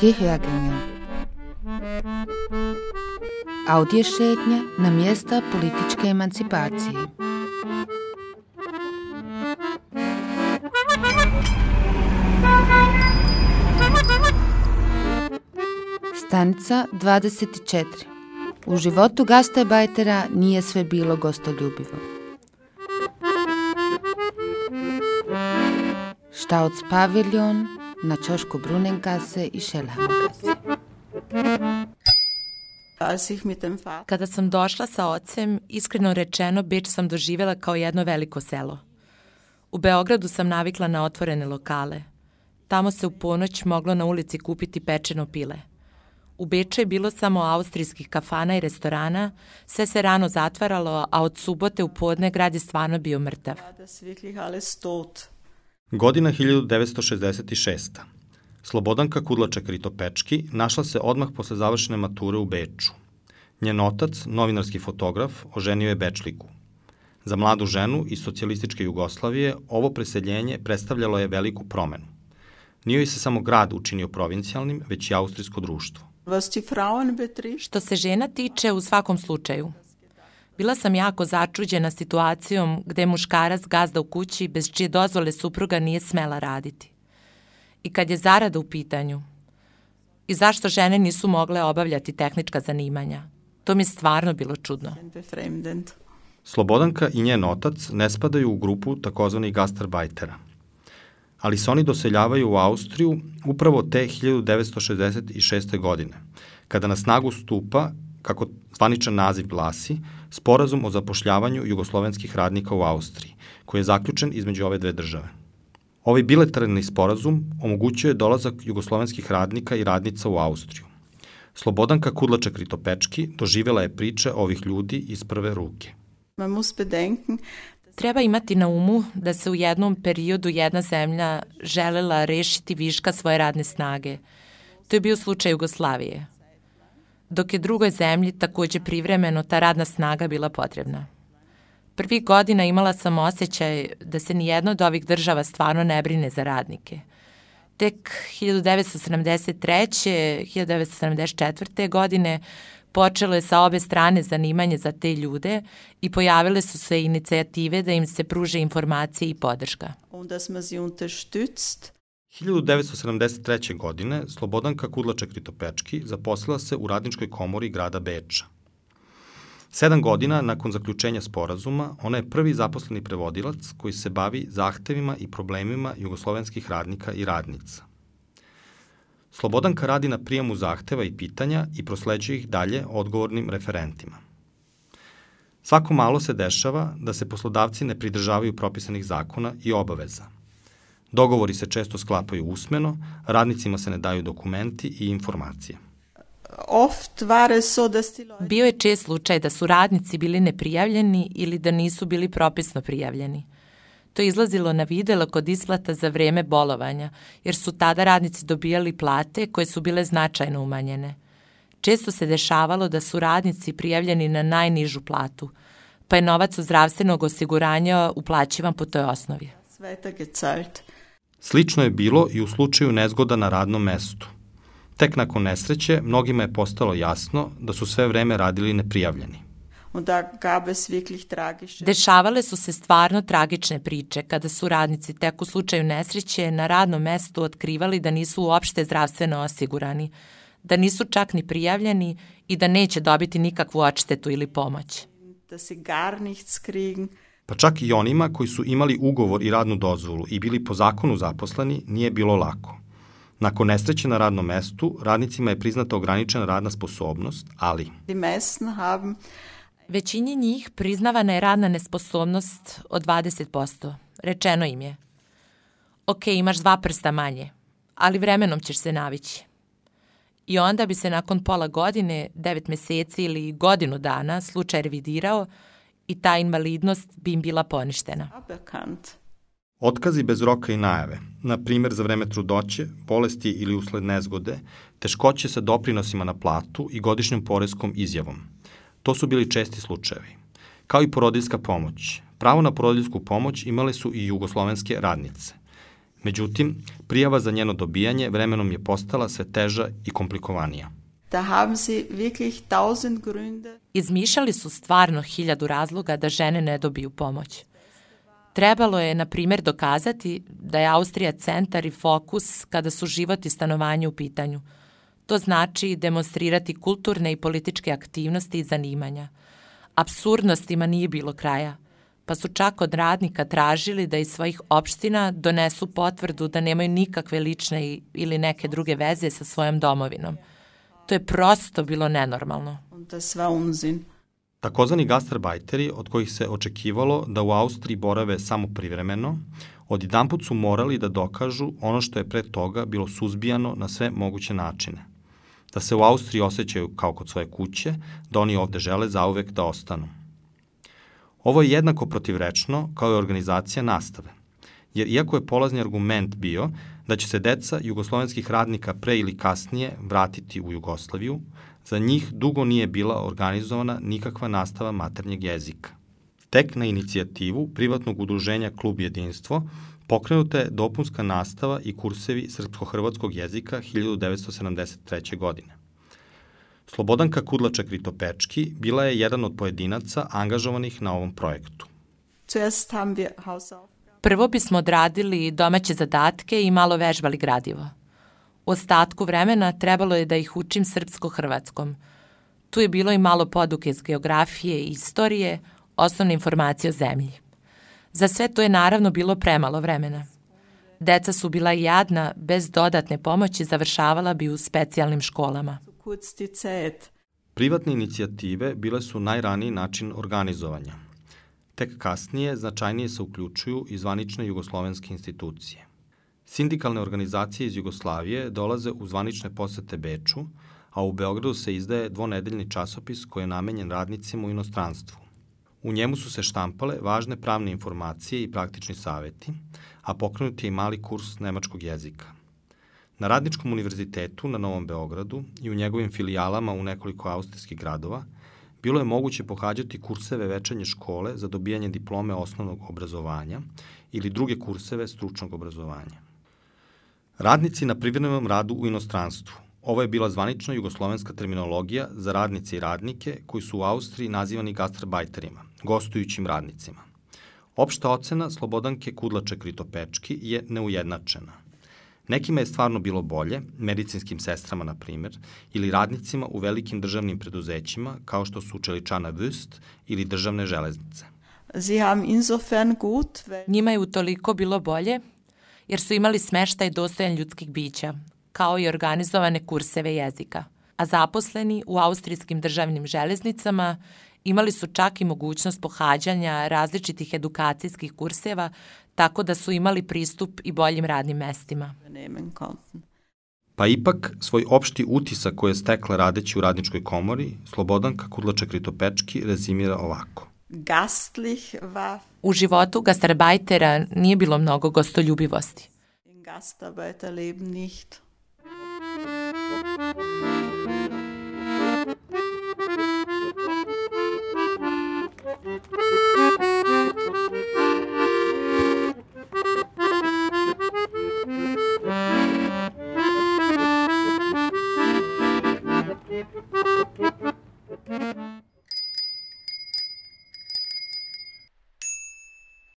Gehörgänge. Audiošetnje na mjesta političke emancipacije. Stanica 24. U životu gastarbajtera nije sve bilo gostoljubivo. Staudspaviljon na ćošku Brunnengasse i Schellhammergasse. Kada sam došla sa ocem, iskreno rečeno, Beč sam doživjela kao jedno veliko selo. U Beogradu sam navikla na otvorene lokale. Tamo se u ponoć moglo na ulici kupiti pečeno pile. U Beču je bilo samo austrijskih kafana i restorana, sve se rano zatvaralo, a od subote u podne grad je stvarno bio mrtav. Godina 1966. Slobodanka Kudlaček-Ritopečki našla se odmah posle završene mature u Beču. Njen otac, novinarski fotograf, oženio je Bečliku. Za mladu ženu iz socijalističke Jugoslavije ovo preseljenje predstavljalo je veliku promenu. Nije joj se samo grad učinio provincijalnim, već i austrijsko društvo. Što se žena tiče, u svakom slučaju. Bila sam jako začuđena situacijom gde je muškarac gazda u kući bez čije dozvole supruga nije smela raditi. I kad je zarada u pitanju. I zašto žene nisu mogle obavljati tehnička zanimanja. To mi je stvarno bilo čudno. Slobodanka i njen otac ne spadaju u grupu takozvanih gastarbajtera. Ali se oni doseljavaju u Austriju upravo te 1966. godine, kada na snagu stupa, kako zvaničan naziv glasi, Sporazum o zapošljavanju jugoslovenskih radnika u Austriji, koji je zaključen između ove dve države. Ovaj bilateralni sporazum omogućuje dolazak jugoslovenskih radnika i radnica u Austriju. Slobodanka Kudlaček-Ritopečki doživjela je priče ovih ljudi iz prve ruke. Treba imati na umu da se u jednom periodu jedna zemlja želela rešiti viška svoje radne snage. To je bio slučaj Jugoslavije. Dok je drugoj zemlji takođe privremeno ta radna snaga bila potrebna. Prvih godina imala sam osjećaj da se nijedna od ovih država stvarno ne brine za radnike. Tek 1973. 1974. godine počelo je sa obe strane zanimanje za te ljude i pojavile su se inicijative da im se pruže informacije i podrška. 1973. godine Slobodanka Kudlaček-Ritopečki zaposlila se u radničkoj komori grada Beča. 7 godina nakon zaključenja sporazuma, ona je prvi zaposleni prevodilac koji se bavi zahtevima i problemima jugoslovenskih radnika i radnica. Slobodanka radi na prijemu zahteva i pitanja i prosleđuje ih dalje odgovornim referentima. Svako malo se dešava da se poslodavci ne pridržavaju propisanih zakona i obaveza. Dogovori se često sklapaju usmeno, radnicima se ne daju dokumenti i informacije. Bio je čest slučaj da su radnici bili neprijavljeni ili da nisu bili propisno prijavljeni. To je izlazilo na videlo kod isplata za vreme bolovanja, jer su tada radnici dobijali plate koje su bile značajno umanjene. Često se dešavalo da su radnici prijavljeni na najnižu platu, pa je novac od zdravstvenog osiguranja uplaćivan po toj osnovi. Slično je bilo i u slučaju nezgoda na radnom mestu. Tek nakon nesreće mnogima je postalo jasno da su sve vreme radili neprijavljeni. Dešavale su se stvarno tragične priče kada su radnici tek u slučaju nesreće na radnom mestu otkrivali da nisu uopšte zdravstveno osigurani, da nisu čak ni prijavljeni i da neće dobiti nikakvu odštetu ili pomoć. Pa čak i onima koji su imali ugovor i radnu dozvolu i bili po zakonu zaposleni nije bilo lako. Nakon nesreće na radnom mestu, radnicima je priznata ograničena radna sposobnost, ali većini njih priznavana je radna nesposobnost od 20%. Rečeno im je: ok, imaš 2 prsta manje, ali vremenom ćeš se navići. I onda bi se nakon pola godine, 9 meseci ili godinu dana slučaj revidirao i ta invalidnost bi im bila poništena. Otkazi bez roka i najave, na primjer za vreme trudnoće, bolesti ili usled nezgode, teškoće sa doprinosima na platu i godišnjom poreskom izjavom. To su bili česti slučajevi. Kao i porodiljska pomoć. Pravo na porodiljsku pomoć imale su i jugoslovenske radnice. Međutim, prijava za njeno dobijanje vremenom je postala sve teža i komplikovanija. Da haben sie wirklich 1000 Gründe. Izmišljali su stvarno 1000 razloga da žene ne dobiju pomoć. Trebalo je, na primjer, dokazati da je Austrija centar i fokus kada su život i stanovanje u pitanju. To znači demonstrirati kulturne i političke aktivnosti i zanimanja. Apsurdnostima nije bilo kraja, pa su čak od radnika tražili da iz svojih opština donesu potvrdu da nemaju nikakve lične ili neke druge veze sa svojom domovinom. To je prosto bilo nenormalno. Takozvani gastarbajteri, od kojih se očekivalo da u Austriji borave samo privremeno, odjedanput su morali da dokažu ono što je pre toga bilo suzbijano na sve moguće načine. Da se u Austriji osjećaju kao kod svoje kuće, da oni ovde žele zauvek da ostanu. Ovo je jednako protivrečno kao i organizacija nastave, jer iako je polazni argument bio da će se deca jugoslovenskih radnika pre ili kasnije vratiti u Jugoslaviju, za njih dugo nije bila organizovana nikakva nastava maternjeg jezika. Tek na inicijativu privatnog udruženja Klub Jedinstvo pokrenuta je dopunska nastava i kursevi srpsko-hrvatskog jezika 1973. godine. Slobodanka Kudlaček-Ritopečki bila je jedan od pojedinaca angažovanih na ovom projektu. Prvo bismo odradili domaće zadatke i malo vežbali gradivo. U ostatku vremena trebalo je da ih učim srpsko-hrvatskom. Tu je bilo i malo poduke iz geografije i istorije, osnovne informacije o zemlji. Za sve to je naravno bilo premalo vremena. Deca su bila jadna, bez dodatne pomoći završavala bi u specijalnim školama. Privatne inicijative bile su najraniji način organizovanja. Tek kasnije značajnije se uključuju i zvanične jugoslovenske institucije. Sindikalne organizacije iz Jugoslavije dolaze u zvanične posete Beču, a u Beogradu se izdaje dvonedeljni časopis koji je namenjen radnicima u inostranstvu. U njemu su se štampale važne pravne informacije i praktični saveti, a pokrenut je i mali kurs nemačkog jezika. Na Radničkom univerzitetu na Novom Beogradu i u njegovim filijalama u nekoliko austrijskih gradova bilo je moguće pohađati kurseve večernje škole za dobijanje diplome osnovnog obrazovanja ili druge kurseve stručnog obrazovanja. Radnici na privremenom radu u inostranstvu. Ovo je bila zvanična jugoslovenska terminologija za radnice i radnike koji su u Austriji nazivani gastarbajterima, gostujućim radnicima. Opšta ocena Slobodanke Kudlaček-Ritopečki je neujednačena. Nekima je stvarno bilo bolje, medicinskim sestrama na primer, ili radnicima u velikim državnim preduzećima kao što su Čeličana Wüst ili državne železnice. Njima je utoliko bilo bolje jer su imali smeštaj dostojan ljudskih bića, kao i organizovane kurseve jezika. A zaposleni u austrijskim državnim železnicama imali su čak i mogućnost pohađanja različitih edukacijskih kurseva, tako da su imali pristup i boljim radnim mestima. Pa ipak, svoj opšti utisak koji je stekla radeći u Radničkoj komori, Slobodanka Kudlaček-Ritopečki rezimira ovako. U životu gastarbajtera nije bilo mnogo gostoljubivosti. Gastarbeiterleben nicht.